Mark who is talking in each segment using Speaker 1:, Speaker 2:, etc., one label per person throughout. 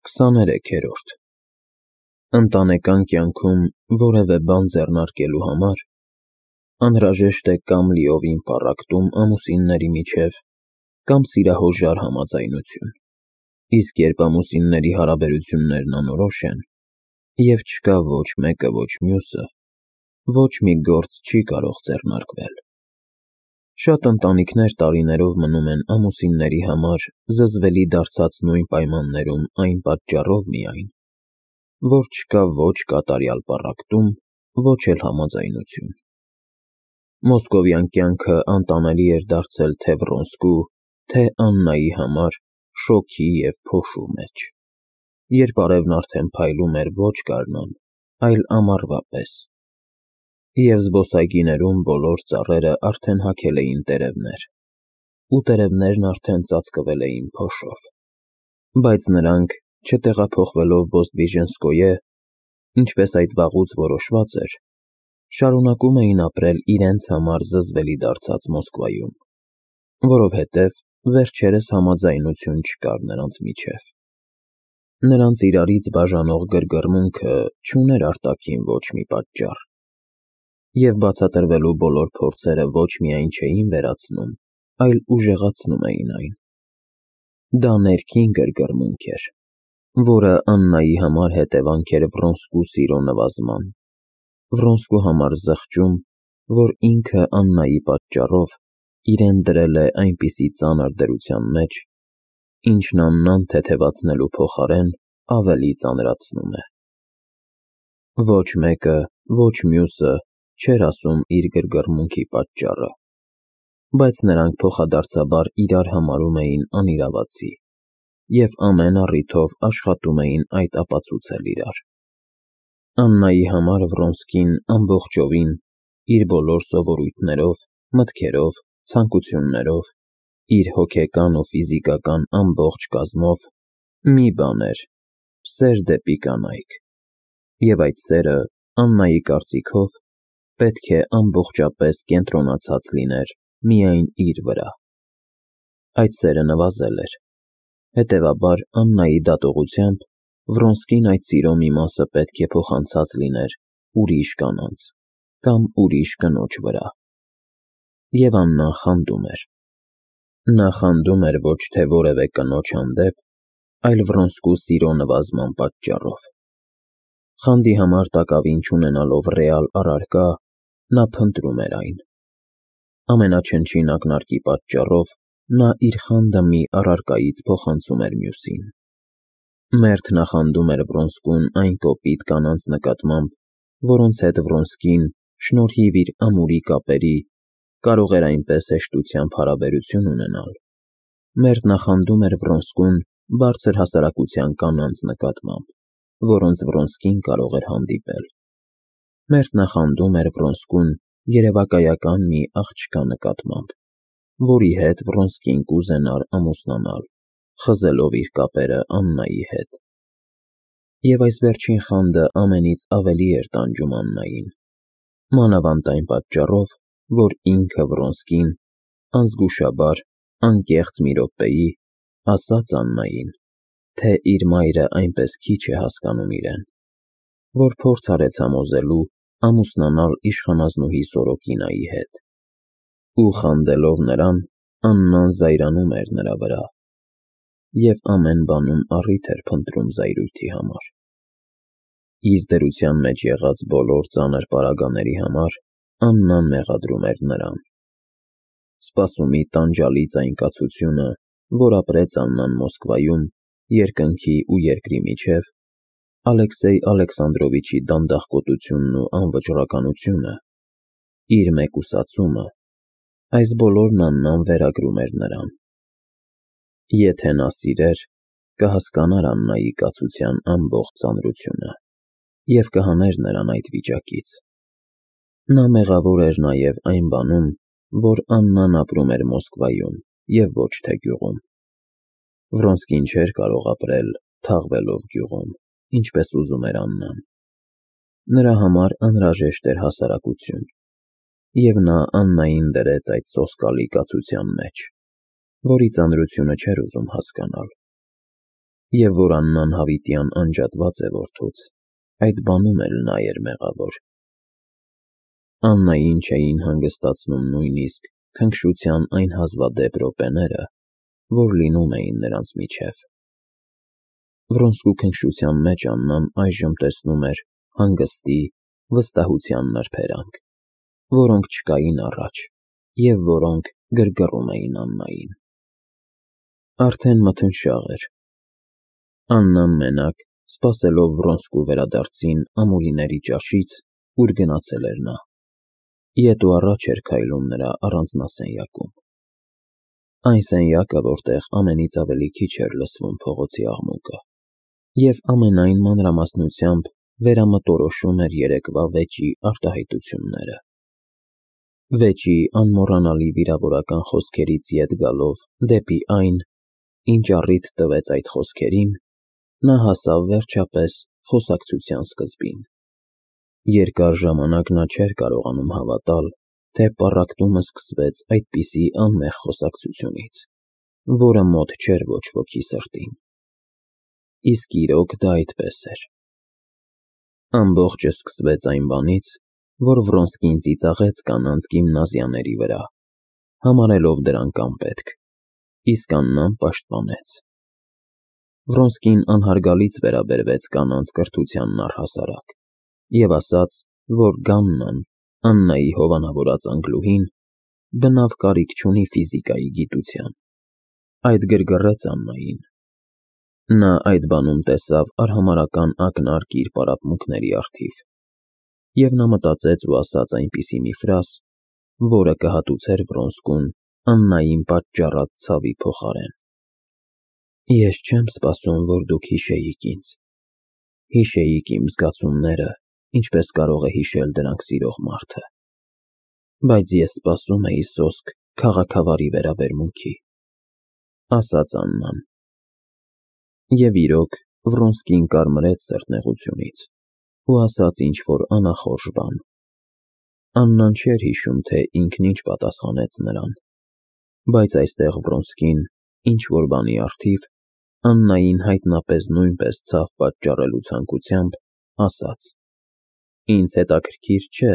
Speaker 1: 23-րդ Ընտանեկան կյանքում որևէ բան ձեռնարկելու համար անհրաժեշտ է կամ լիովին պառակտում ամուսինների միջև, կամ սիրահորժար համաձայնություն, իսկ երբ ամուսինների հարաբերություններն անորոշ են, և չկա ոչ մեկը, ոչ մյուսը, ոչ մի գործ չի կարող ձեռնարկվել։ Շատ ընտանիքներ տարիներով մնում են ամուսինների համար զզվելի դարձած նույն պայմաններում այն պատճառով միայն, որ չկա ոչ կատարյալ պառակտում, ոչ էլ համաձայնություն։ Մոսկովյան կյանքը անտանելի էր դարձել թե Վրոնսկու, թե Աննայի համար շոգի և փոշու մեջ, երբ արևն արդեն փայլում էր ոչ գարնան, այլ ամառվա պես, և զբոսայգիներում բոլոր ծառերը արդեն հագել էին տերևներ, ու տերևներն արդեն ծածկվել էին փոշով, բայց նրանք, չտեղափոխվելով Ոզդվիժենսկոյե, ինչպես այդ վաղուց որոշված էր, շարունակում էին ապրել իրենց համար զզվելի դարձած Մոսկվայում, որովհետև վերջերս համաձայնություն չկար նրանց միջև։ Նրանց իրարից բաժանող գրգռմունքը չուներ արտաքին ոչ մի պատճառ, և բացատրվելու բոլոր փորձերը ոչ միայն չէին վերացնում, այլ ուժեղացնում էին այն։ Դա ներքին գրգռմունք էր, որը Աննայի համար հետևանք էր Վրոնսկու սիրո նվազման, Վրոնսկու համար զղջում, որ ինքը Աննայի պատճառով իրեն դրել է այնպիսի ծանր դրության մեջ, ինչն Աննան թեթևացնելու փոխարեն ավելի ծանրացնում է։ Ոչ մեկը, ոչ մյուսը չէր ասում իր գրգռմունքի պատճառը, բայց նրանք փոխադարձաբար իրար համարում էին անիրավացի և ամեն առիթով աշխատում էին այդ ապացուցել իրար։ Աննայի համար Վրոնսկին ամբողջովին, իր բոլոր սովորույթներով, մտքերով, ցանկություններով, իր հոգեկան ու ֆիզիկական ամբողջ կազմով մի բան էր՝ սեր դեպի կանայք, և այդ սերը, Աննայի կարծիքով, պետք է ամբողջապես կենտրոնացած լիներ միայն իր վրա։ Այդ սերը նվազել էր, հետևաբար Աննայի դատողությամբ Վրոնսկին այդ սիրո մի մասը պետք է փոխանցած լիներ ուրիշ կանանց կամ ուրիշ կնոջ վրա։ Եվ Աննան խանդում էր։ Նա խանդում էր ոչ թե որևէ կնոջ հանդեպ, այլ Վրոնսկու սիրո նվազման պատճառով։ Խանդի համար տակավին չունենալով ռեալ առարկա, նա փնտրում էր այն։ Ամենաչնչին ակնարկի պատճառով նա իր խանդը մի առարկայից փոխանցում էր մյուսին։ Մերթ նախանդում էր Վրոնսկուն այն կոպիտ կանանց նկատմամբ, որոնց հետ Վրոնսկին, շնորհիվ իր ամուրի կապերի, կարող էր այնպես հեշտությամբ հարաբերություն ունենալ։ Մերթ նախանդում էր Վրոնսկուն բարձր հասարակության կանանց նկատմամբ, որոնց Վրոնսկին կարող էր հանդիպել։ Մերթ նախանդում էր Վրոնսկուն երևակայական մի աղջկա նկատմամբ, որի հետ Վրոնսկին կուզենար ամուսնանալ, խզելով իր կապերը Աննայի հետ։ Եվ այս վերջին խանդը ամենից ավելի էր տանջում Աննային, մանավանդ այն պատճառով, որ ինքը Վրոնսկին, անզգուշաբար, անկեղծ մի րոպեի, ասաց Աննային, թե իր մայրը այնպես քիչ է հասկանում իրեն, որ փորձ արեց համոզելու ամուսնանալ իշխանազնուհի Սորոկինայի հետ, ու խանդելով նրան, Աննան զայրանում էր նրա վրա և ամեն բանում առիթ էր փնտրում զայրույթի համար։ Իր դրության մեջ եղած բոլոր ծանր պարագաների համար Աննան մեղադրում էր նրան։ Սպասումի տանջալից այն կացությունը, որ ապրեց Աննան Մոսկվայում, երկնքի ու երկրի միջև, Ալեքսեյ Ալեքսանդրովիչի դանդաղկոտությունն ու անվճռականությունը, իր մեկուսացումը, այս բոլորն Աննան վերագրում էր նրան։ Եթե նա սիրեր, կհասկանար Աննայի կացության ամբողջ ծանրությունը և կհաներ նրան այդ վիճակից։ Նա մեղավոր էր նաև այն բանում, որ Աննան ապրում էր Մոսկվայում և ոչ թե գյուղում։ Վրոնսկին չէր կարող ապրել թաղվելով գյուղում, ինչպես ուզում էր Աննան։ Նրա համար անհրաժեշտ էր հասարակություն, և նա Աննային դրեց այդ սոսկալի կացության մեջ, որի ծանրությունը չէր ուզում հասկանալ։ Եվ որ Աննան հավիտյան անջատված է որդուց, այդ բանում էլ նա էր մեղավոր։ Աննային չէին հանգստացնում նույնիսկ քնքշության այն հազվադեպ րոպեները, որ լինում էին նրանց միջև։ Վրոնսկու քնքշության մեջ Աննան այժմ տեսնում էր հանգստի, վստահության նրբերանգ, որոնք չկային առաջ և որոնք գրգռում էին Աննային։ Արդեն մթնշաղ էր։ Աննան մենակ, սպասելով Վրոնսկու վերադարձին ամուրիների ճաշից, ուր գնացել էր նա, ետ ու առաջ էր քայլում նրա առանձնասենյակում։ Այն սենյակը, որտեղ ամենից ավելի քիչ էր լսվում փողոցի աղմուկը, և ամենայն մանրամասնությամբ վերամտորոշում էր երեկվա վեճի արտահայտությունները։ Վեճի անմոռանալի վիրավորական խոսքերից ետ գալով դեպի այն, ինչ առիթ տվեց այդ խոսքերին, նա հասավ վերջապես խոսակցության սկզբին։ Երկար ժամանակ նա չէր կարողանում հավատալ, թե պառակտումը սկսվեց այդպիսի անմեղ խոսակցությունից, որը մոտ չէր ոչ ոքի սրտին։ Իսկ իրոք դա այդպես էր։ Ամբողջը սկսվեց այն բանից, որ Վրոնսկին ծիծաղեց կանանց գիմնազիաների վրա, համարելով դրանք անպետք, իսկ Աննան պաշտպանեց։ Վրոնսկին անհարգալից վերաբերվեց կանանց կրթությանն առհասարակ և ասաց, որ Գաննան, Աննայի հովանավորած անգլուհին, բնավ կարիք չունի ֆիզիկայի գիտության։ Այդ գրգռեց Աննային։ Նա այդ բանում տեսավ արհամարհական ակնարկ իր պարապմունքների առթիվ, և նա մտածեց ու ասաց այնպիսի մի ֆրազ, որը կհատուցեր Վրոնսկուն Աննային պատճառած ցավի փոխարեն։ Ես չեմ սպասում, որ դուք հիշեիք ինձ։ Հիշեիք իմ զգացումները, ինչպես կարող է հիշել դրանք սիրող մարդը։ Բայց ես սպասում էի սոսկ քաղաքավարի վերաբերմունքի, ասաց Աննան։ Եվ իրոք, Վրոնսկին կարմրեց սրտնեղությունից ու ասաց ինչ-որ անախորժ բան։ Աննան չէր հիշում, թե ինքն ինչ պատասխանեց նրան, բայց այստեղ Վրոնսկին, ինչ-որ բանի առթիվ, Աննային հայտնապես նույնպես ցավ պատճառելու ցանկությամբ, ասաց. Ինձ հետաքրքիր չէ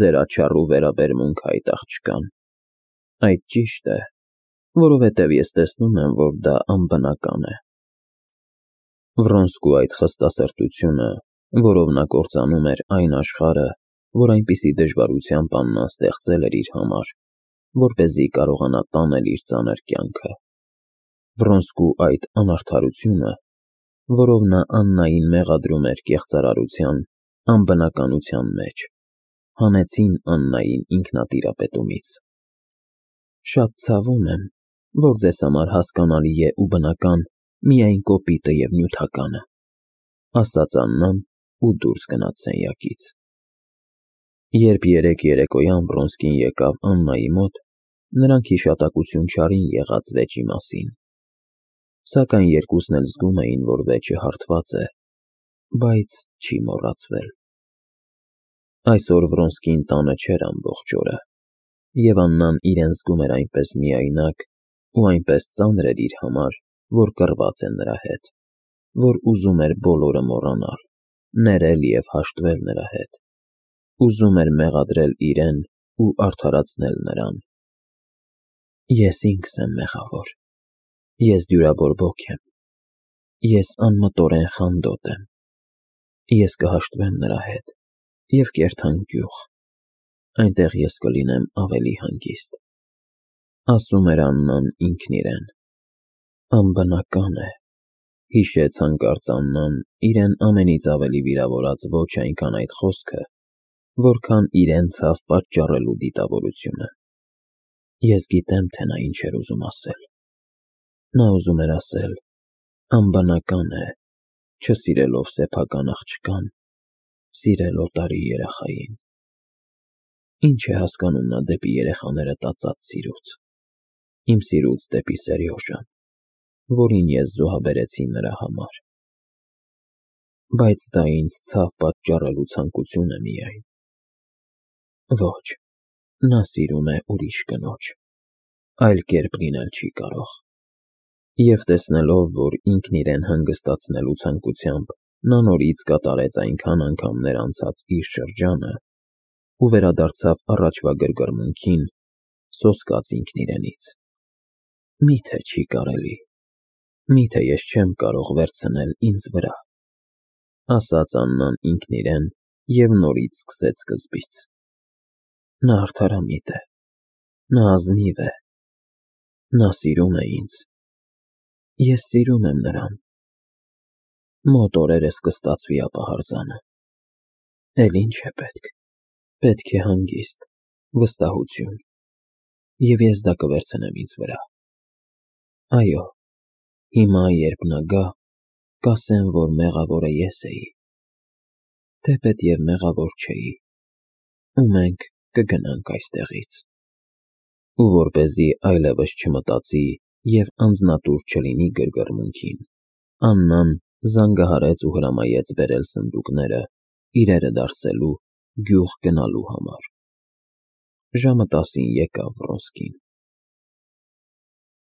Speaker 1: ձեր աչառու վերաբերմունքը այդ աղջկան։ Այդ ճիշտ է, որովհետև ես տեսնում եմ, որ դա անբնական է։ Վրոնսկու այդ խստասրտությունը, որով նա կործանում էր այն աշխարհը, որ այնպիսի դժվարությամբ Աննան ստեղծել էր իր համար, որպեսզի կարողանա տանել իր ծանր կյանքը։ Վրոնսկու այդ անարդարությունը, որով նա Աննային մեղադրում էր կեղծարարության, անբնականության մեջ, հանեցին Աննային ինքնատիրապետումից։ Շատ ցավում եմ, որ ձեզ համար հասկանալի է ու բնական միայն կոպիտը և նյութականը, ասաց Աննան ու դուրս գնաց սենյակից։ Երբ երեկ երեկոյան Վրոնսկին եկավ Աննայի մոտ, նրանք հիշատակություն չարին եղած վեճի մասին, սակայն երկուսն էլ զգում էին, որ վեճը հարթված է, բայց չի մոռացվել։ Այսօր Վրոնսկին տանը չէր ամբողջ օրը, և Աննան իրեն զգում էր այնպես միայնակ ու այնպես ծանր էր իր համար, որ կռված է նրա հետ, որ ուզում էր բոլորը մոռանալ, ներել և հաշտվել նրա հետ, ուզում էր մեղադրել իրեն ու արդարացնել նրան։ Ես ինքս եմ մեղավոր, ես դյուրաբորբոք եմ, ես անմտորեն խանդոտ եմ, ես կհաշտվեմ նրա հետ և կերթան գյուղ, այնտեղ ես կլինեմ ավելի հանգիստ, ասում էր Աննան ինքն իրեն։ Անբնական է, հիշեց հանկարծ Աննան իրեն ամենից ավելի վիրավորած ոչ այնքան այդ խոսքը, որքան իրեն ցավ պատճառելու դիտավորությունը։ Ես գիտեմ, թե նա ինչ էր ուզում ասել։ Նա ուզում էր ասել. անբնական է, չսիրելով սեփական աղջկան, սիրել օտարի երեխային։ Ինչ է հասկանում նա դեպի երեխաները տածած սիրուց, իմ սիրուց դեպի Սերյոժան, որին ես զոհաբերեցի նրա համար։ Բայց դա ինձ ցավ պատճառելու ցանկություն է միայն։ Ոչ, նա սիրում է ուրիշ կնոջ, այլ կերպ լինել չի կարող։ Եվ տեսնելով, որ ինքն իրեն հանգստացնելու ցանկությամբ նա նորից կատարեց այնքան անգամներ անցած իր շրջանը ու վերադարձավ առաջվա գրգռմունքին, սոսկաց ինքն իրենից. «Մի՞թե չի կարելի, մի՞թե ես չեմ կարող վերցնել ինձ վրա», ասաց Աննան ինքն իրեն և նորից սկսեց սկզբից. «Նա արդարամիտ է, նա ազնիվ է, նա սիրում է ինձ, ես սիրում եմ նրան, մոտ օրերս կստացվի ապահարզանը, էլ ի՞նչ է պետք, պետք է հանգիստ, վստահություն, և ես դա կվերցնեմ ինձ վրա, այո, հիմա, երբ նա գա, կասեմ, որ մեղավորը ես էի, թեպետ և մեղավոր չէի, ու մենք կգնանք այստեղից»։ Ու որպեսզի այլևս չմտածի և անձնատուր չլինի գրգռմունքին, Աննան զանգահարեց ու հրամայեց բերել սնդուկները իրերը դարսելու գյուղ գնալու համար։ Ժամը 10-ին եկավ Վռոնսկին։